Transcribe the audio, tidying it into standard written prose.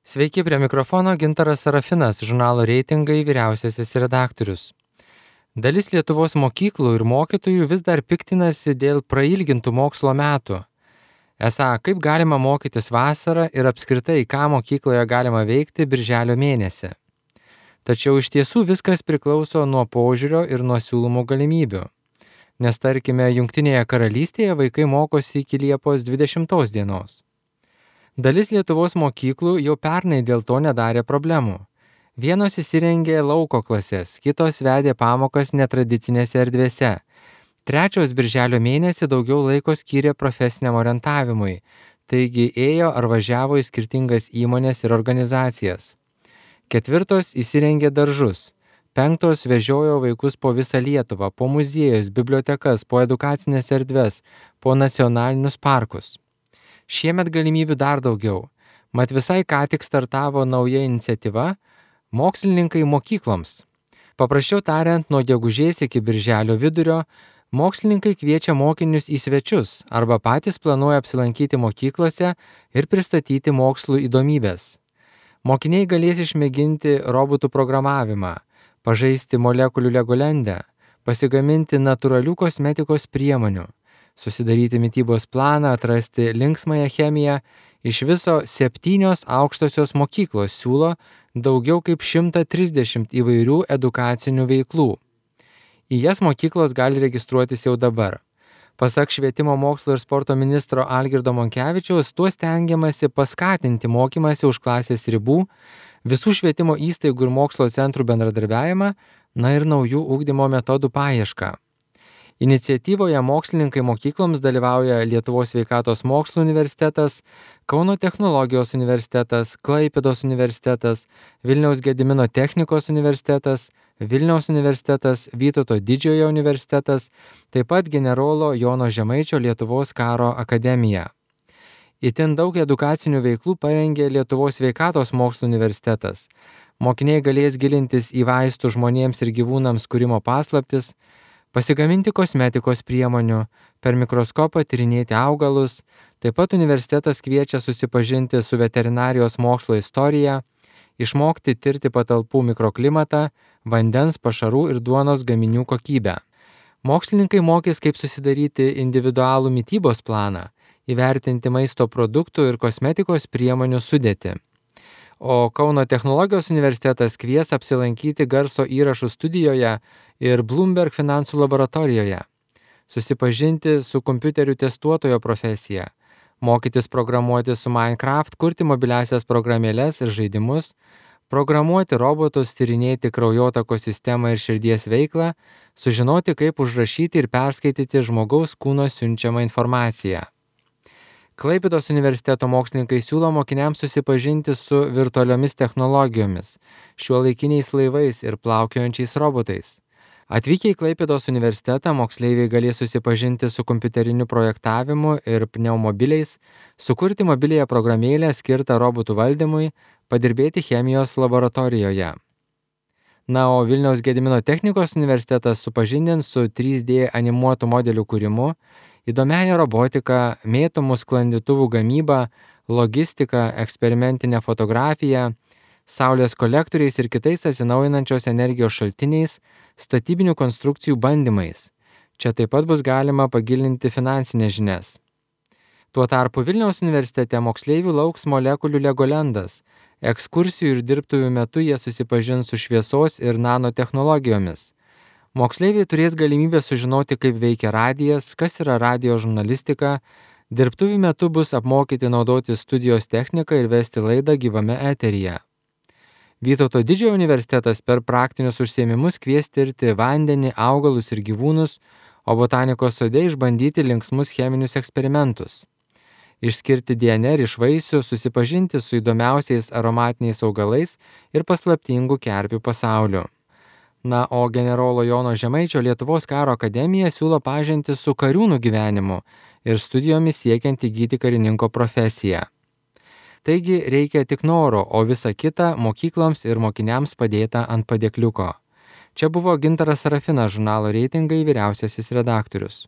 Sveiki, prie mikrofono Gintaras Sarafinas, žurnalo Reitingai vyriausiasis redaktorius. Dalis Lietuvos mokyklų ir mokytojų vis dar piktinasi dėl prailgintų mokslo metų. Esą, kaip galima mokytis vasarą ir apskritai, ką mokykloje galima veikti birželio mėnesį. Tačiau iš tiesų viskas priklauso nuo požiūrio ir nuo siūlomų galimybių. Nes tarkime, Jungtinėje karalystėje vaikai mokosi iki Liepos 20 dienos. Dalis Lietuvos mokyklų jau pernai dėl to nedarė problemų. Vienos įsirengė lauko klases, kitos vedė pamokas netradicinėse erdvėse. Trečios birželio mėnesį daugiau laiko skyrė profesiniam orientavimui, taigi ėjo ar važiavo į skirtingas įmones ir organizacijas. Ketvirtos įsirengė daržus. Penktos vežiojo vaikus po visą Lietuvą, po muziejus, bibliotekas, po edukacinės erdves, po nacionalinius parkus. Šiemet galimybių dar daugiau. Mat visai ką tik startavo nauja iniciatyva Mokslininkai mokykloms. Paprasčiau tariant, nuo gegužės iki birželio vidurio mokslininkai kviečia mokinius į svečius arba patys planuoja apsilankyti mokyklose ir pristatyti mokslų įdomybės. Mokiniai galės išmėginti robotų programavimą, pažaisti molekulių legolendę, pasigaminti natūralių kosmetikos priemonių, susidaryti mitybos planą, atrasti linksmąją chemiją. Iš viso 7 aukštosios mokyklos siūlo daugiau kaip 130 įvairių edukacinių veiklų. Į jas mokyklos gali registruotis jau dabar. Pasak švietimo mokslo ir sporto ministro Algirdo Monkevičiaus, tuo stengiamasi paskatinti mokymąsi už klasės ribų, visų švietimo įstaigų ir mokslo centrų bendradarbiavimą, ir naujų ugdymo metodų paiešką. Iniciatyvoje Mokslininkai mokykloms dalyvauja Lietuvos sveikatos mokslų universitetas, Kauno technologijos universitetas, Klaipėdos universitetas, Vilniaus Gedimino technikos universitetas, Vilniaus universitetas, Vytauto Didžiojo universitetas, taip pat generolo Jono Žemaičio Lietuvos karo akademija. Itin daug edukacinių veiklų parengė Lietuvos sveikatos mokslų universitetas. Mokiniai galės gilintis į vaistų žmonėms ir gyvūnams kūrimo paslaptis, pasigaminti kosmetikos priemonių, per mikroskopą tyrinėti augalus. Taip pat universitetas kviečia susipažinti su veterinarijos mokslo istorija, išmokti tirti patalpų mikroklimatą, vandens, pašarų ir duonos gaminių kokybę. Mokslininkai mokys, kaip susidaryti individualų mitybos planą, įvertinti maisto produktų ir kosmetikos priemonių sudėtį. O Kauno technologijos universitetas kvies apsilankyti garso įrašų studijoje ir Bloomberg finansų laboratorijoje, susipažinti su kompiuterių testuotojo profesija, mokytis programuoti su Minecraft, kurti mobiliasias programėles ir žaidimus, programuoti robotus, tyrinėti kraujotakos sistemą ir širdies veiklą, sužinoti, kaip užrašyti ir perskaityti žmogaus kūno siunčiamą informaciją. Klaipėdos universiteto mokslininkai siūlo mokiniams susipažinti su virtualiomis technologijomis, šiuolaikiniais laivais ir plaukiojančiais robotais. Atvykę į Klaipėdos universitetą moksleiviai galės susipažinti su kompiuteriniu projektavimu ir pneumobiliais, sukurti mobiliąją programėlę skirtą robotų valdymui, padirbėti chemijos laboratorijoje. O Vilniaus Gedimino technikos universitetas supažindins su 3D animuotų modelių kūrimu, įdomiąją robotiką, mėtomų sklandytuvų gamybą, logistiką, eksperimentinę fotografiją, saulės kolektoriais ir kitais atsinaujinančios energijos šaltiniais, statybinių konstrukcijų bandymais. Čia taip pat bus galima pagilinti finansinės žinias. Tuo tarpu Vilniaus universitete moksleivių lauks molekulių legolendas. Ekskursijų ir dirbtuvių metu jie susipažins su šviesos ir nanotechnologijomis. Moksleiviai turės galimybę sužinoti, kaip veikia radijas, kas yra radijo žurnalistika. Dirbtuvių metu bus apmokyti naudoti studijos techniką ir vesti laidą gyvame eteryje. Vytauto Didžiojo universitetas per praktinius užsiėmimus kvies tirti vandenį, augalus ir gyvūnus, o botanikos sode išbandyti linksmus cheminius eksperimentus. Išskirti DNR iš vaisių, susipažinti su įdomiausiais aromatiniais augalais ir paslaptingų kerpių pasauliu. O generolo Jono Žemaičio Lietuvos karo akademija siūlo pažinti su kariūnų gyvenimu ir studijomis siekiant įgyti karininko profesiją. Taigi reikia tik noro, o visa kita mokykloms ir mokiniams padėta ant padėkliuko. Čia buvo Gintaras Sarafinas, žurnalo Reitingai vyriausiasis redaktorius.